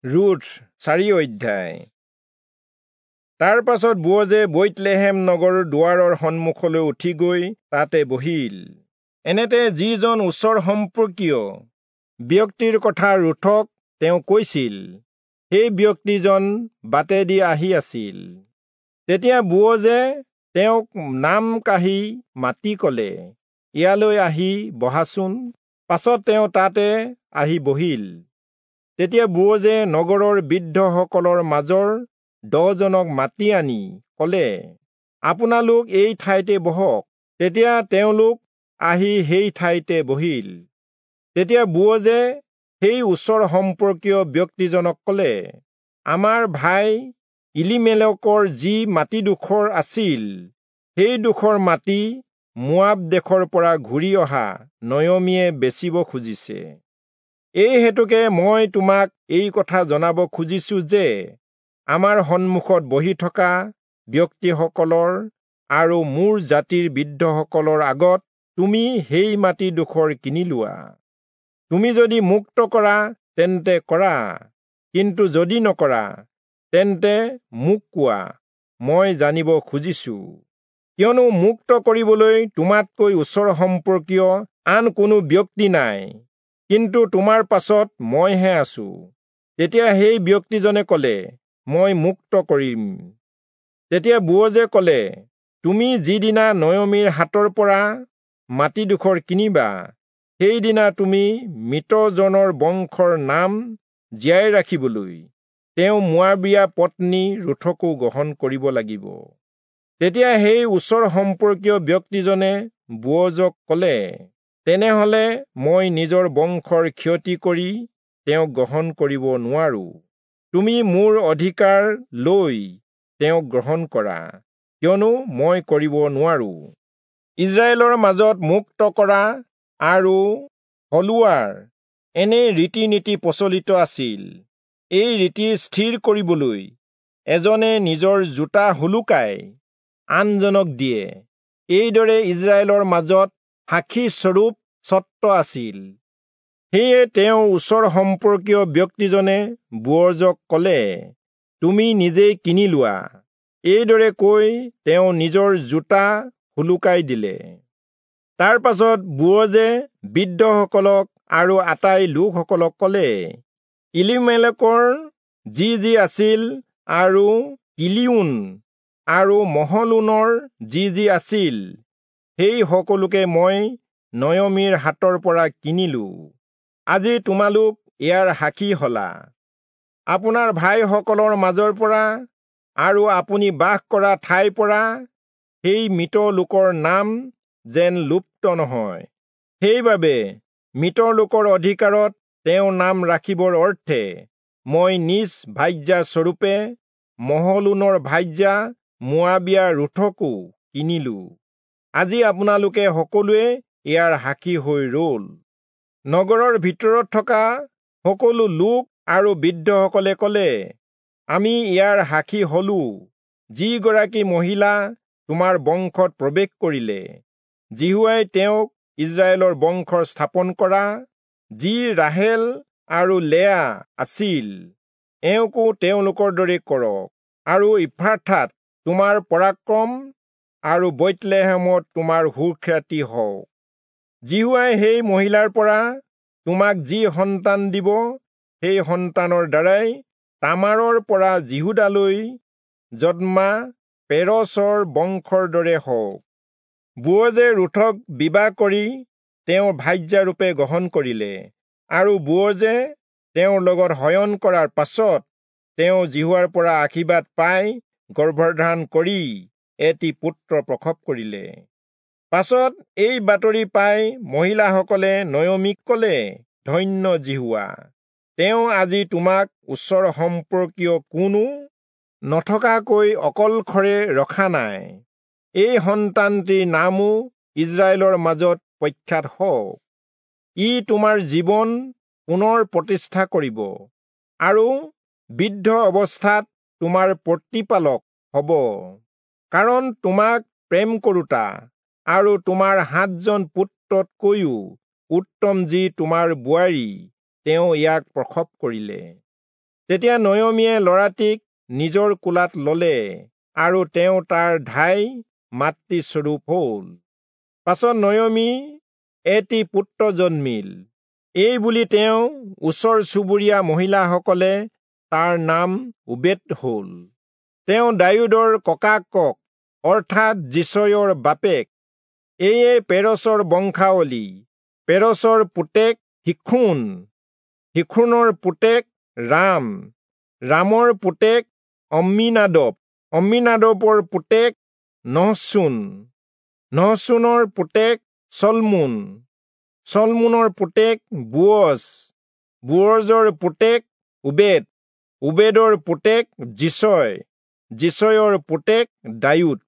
Ruth 4 অধ্যায়। তাৰ পাছত বোৱজে বৈৎলেহেম নগৰৰ দুৱাৰৰ সন্মুখলৈ উঠি গৈ তাতে বহিল। এনেতে যিজন ওচৰ সম্পৰ্কীয় ব্যক্তিৰ কথা ৰুথক তেওঁ কৈছিল, সেই ব্যক্তিজন বাটেদি আহি আছিল। তেতিয়া বোৱজে তেওঁক নাম কাঢ়ি মাতি কলে, ইয়ালৈ আহি বহাচোন। পাছত তেওঁ তাতে আহি বহিল। তেতিয়া বোৱজে নগৰৰ বৃদ্ধসকলৰ মাজৰ 10জনক মাতি আনি কলে, আপোনালোক এই ঠাইতে বহক। তেতিয়া তেওঁলোক আহি সেই ঠাইতে বহিল। তেতিয়া বোৱজে সেই ওচৰ সম্পৰ্কীয় ব্যক্তিজনক কলে, আমাৰ ভাই ইলিমেলেকৰ যি মাটিডোখৰ আছিল, সেই ডোখৰ মাটি মোৱাব দেশৰ পৰা ঘূৰি অহা নয়মীয়ে বেচিব খুজিছে। এই হেতুকে মই তোমাক এই কথা জনাব খুজিছো যে আমাৰ সন্মুখত বহি থকা ব্যক্তিসকলৰ আৰু মোৰ জাতিৰ বৃদ্ধসকলৰ আগত তুমি সেই মাটিডোখৰ কিনি লোৱা। তুমি যদি মুক্ত কৰা তেন্তে কৰা, কিন্তু যদি নকৰা তেন্তে মোক কোৱা, মই জানিব খুজিছো। কিয়নো মুক্ত কৰিবলৈ তোমাতকৈ ওচৰ সম্পৰ্কীয় আন কোনো ব্যক্তি নাই, কিন্তু তোমাৰ পাছত মইহে আছো। তেতিয়া সেই ব্যক্তিজনে কলে, মই মুক্ত কৰিম। তেতিয়া বোৱজে কলে, তুমি যিদিনা নয়মীৰ হাতৰ পৰা মাটিডোখৰ কিনিবা, সেইদিনা তুমি মৃতজনৰ বংশৰ নাম জীয়াই ৰাখিবলৈ তেওঁ মোৱাবীয়া পত্নী ৰুথকো গ্ৰহণ কৰিব লাগিব। তেতিয়া সেই ওচৰ সম্পৰ্কীয় ব্যক্তিজনে বোৱজক কলে, তেনেহলে মই নিজৰ বংশৰ ক্ষতি কৰি তেওঁক গ্ৰহণ কৰিব নোৱাৰো। তুমি মোৰ অধিকাৰ লৈ তেওঁক গ্ৰহণ কৰা, কিয়নো মই কৰিব নোৱাৰো। ইজৰাইলৰ মাজত মুক্ত কৰা আৰু হলোৱাৰ এনে ৰীতি নীতি প্ৰচলিত আছিল। এই ৰীতি স্থিৰ কৰিবলৈ এজনে নিজৰ জোতা হুলুকাই আনজনক দিয়ে। এইদৰে ইজৰাইলৰ মাজত সাক্ষী স্বৰূপ স্বত্ব আছিল। সেয়ে তেওঁ ওচৰ সম্পৰ্কীয় ব্যক্তিজনে বোৱজক কলে, তুমি নিজেই কিনি লোৱা। এইদৰে কৈ তেওঁ নিজৰ জোতা হুলুকাই দিলে। তাৰ পাছত বোৱজে বৃদ্ধসকলক আৰু আটাই লোকসকলক কলে, ইলিমেলেকৰ যি যি আছিল আৰু কিলিয়োন আৰু মহলোনৰ যি যি আছিল, সেই সকলোকে মই নয়মীৰ হাতৰ পৰা কিনিলো। আজি তোমালোক ইয়াৰ সাক্ষী হলা। আপোনাৰ ভাইসকলৰ মাজৰ পৰা আৰু আপুনি বাস কৰা ঠাইৰ পৰা সেই মৃত লোকৰ নাম যেন লুপ্ত নহয়, সেইবাবে মৃত লোকৰ অধিকাৰত তেওঁৰ নাম ৰাখিবৰ অৰ্থে মই নিজ ভাৰ্যা স্বৰূপে মহলোনৰ ভাৰ্যা মোৱাবীয়া ৰুথকো কিনিলো। আজি আপোনালোকে সকলোৱে ইয়াৰ সাক্ষী হৈ ৰল। নগৰৰ ভিতৰত থকা সকলো লোক আৰু বৃদ্ধসকলে কলে, আমি ইয়াৰ সাক্ষী হলো। যিগৰাকী মহিলা তোমাৰ বংশত প্ৰৱেশ কৰিলে, যিহোৱাই তেওঁক ইজৰাইলৰ বংশৰ স্থাপন কৰা যি ৰাহেল আৰু লেয়া আছিল, এওঁকো তেওঁলোকৰ দৰে কৰক, আৰু ইফ্ৰাথাত তোমাৰ পৰাক্ৰম আৰু বৈৎলেহেমত তোমাৰ সুখ্যাতি হওক। যিহোৱাই সেই মহিলাৰ পৰা তোমাক যি সন্তান দিব, সেই সন্তানৰ দ্বাৰাই তামাৰৰ পৰা যিহূদালৈ জন্মা পেৰচৰ বংশৰ দৰে হওক। বোৱজে ৰুথক বিবাহ কৰি তেওঁৰ ভাৰ্যাৰূপে গ্ৰহণ কৰিলে, আৰু বোৱজে তেওঁৰ লগত শয়ন কৰাৰ পাছত তেওঁ যিহোৱাৰ পৰা আশীৰ্বাদ পাই গৰ্ভধাৰণ কৰি এটি পুত্ৰ প্ৰসৱ কৰিলে। পাছত এই বাতৰি পাই মহিলাসকলে নয়মীক কলে, ধন্য যিহোৱা, তেওঁ আজি তোমাক ওচৰ সম্পৰ্কীয় কোনো নথকাকৈ অকলশৰে ৰখা নাই। এই সন্তানটিৰ নামো ইজৰাইলৰ মাজত প্ৰখ্যাত হওক। ই তোমাৰ জীৱন পুনৰ প্ৰতিষ্ঠা কৰিব আৰু বৃদ্ধ অৱস্থাত তোমাৰ প্ৰতিপালক হব, কাৰণ তোমাক প্ৰেম কৰোতা আৰু তোমাৰ 7জন পুত্ৰতকৈও উত্তম যি তোমাৰ বোৱাৰী, তেওঁ ইয়াক প্ৰসৱ কৰিলে। তেতিয়া নয়মীয়ে ল'ৰাটিক নিজৰ কোলাত ললে আৰু তেওঁ তাৰ ধাই মাতৃস্বৰূপ হ'ল। পাছত নয়মী এটি পুত্ৰ জন্মিল। এই বুলি তেওঁ ওচৰ চুবুৰীয়া মহিলাসকলে তাৰ নাম ওবেদ হ'ল। তেওঁ দায়ূদৰ ককাকক অৰ্থাৎ যিচয়ৰ বাপেক। এয়ে পেৰচৰ বংশাৱলী। পেৰচৰ পুতেক হিখোন, হিখোনৰ পুতেক ৰাম, ৰামৰ পুতেক অম্মিনাদব, অম্মিনাদবৰ পুতেক নহচোন, নহচোনৰ পুতেক চলমোন, চলমোনৰ পুতেক বোৱজ, বোৱজৰ পুতেক ওবেদ, ওবেদৰ পুতেক যিচয়, যিচয়ৰ পুতেক দায়ূদ।